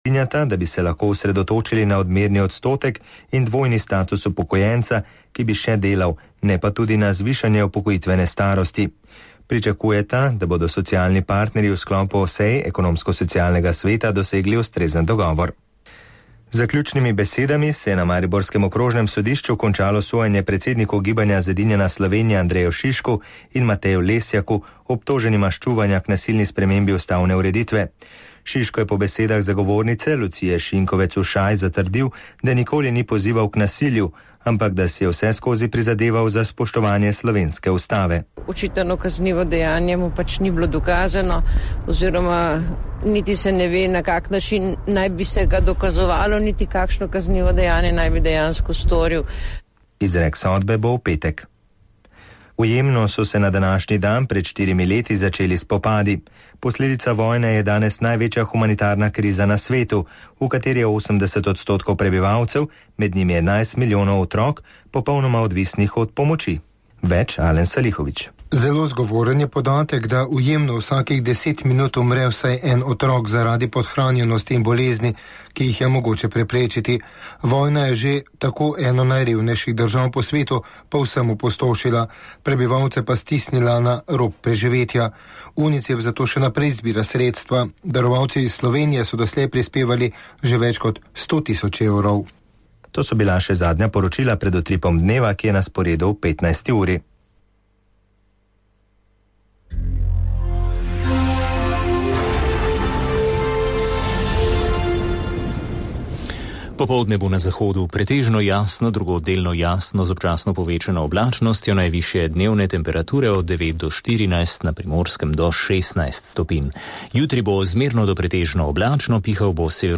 strinjata, da bi se lahko osredotočili na odmerni odstotek in dvojni status upokojenca, ki bi še delal, ne pa tudi na zvišanje upokojitvene starosti. Pričakujeta, da bodo socialni partnerji v sklopu sej ekonomsko-socialnega sveta dosegli ustrezen dogovor. Zaključnimi besedami se je na mariborskem okrožnem sodišču končalo sojenje predsedniku gibanja Zedinjena Slovenija Andreju Šišku in Mateju Lesjaku, obtoženima ščuvanja k nasilni spremembi ustavne ureditve. Šiško je po besedah zagovornice Lucije Šinkovec-Ušaj zatrdil, da nikoli ni pozival k nasilju, ampak da si je vse skozi prizadeval za spoštovanje slovenske ustave. Očitano kaznivo dejanje mu pač ni bilo dokazano, oziroma niti se ne ve, na kak način naj bi se ga dokazovalo, niti kakšno kaznivo dejanje naj bi dejansko storil. Izrek sodbe bo v petek. V Jemnu so se na današnji dan pred 4 leti začeli spopadi. Posledica vojne je danes največja humanitarna kriza na svetu, v kateri je 80% prebivalcev, med njimi 11 milijonov otrok, popolnoma odvisnih od pomoči. Več Alen Salihović. Zelo zgovoren je podatek, da v Jemnu vsakih 10 minut umre vsaj en otrok zaradi podhranjenosti in bolezni, ki jih je mogoče preprečiti. Vojna je že tako eno najrevnejših držav po svetu povsem opustošila, prebivalce pa stisnila na rob preživetja. UNICEF zato še naprej zbira sredstva. Darovalci iz Slovenije so doslej prispevali že več kot 100.000 evrov. To so bila še zadnja poročila pred utripom dneva, ki je na sporedu v 15. uri. Popoldne bo na zahodu pretežno jasno, drugod delno jasno z občasno povečano oblačnostjo, najvišje dnevne temperature od 9 do 14, na Primorskem do 16 stopinj. Jutri bo zmerno do pretežno oblačno, pihal bo severno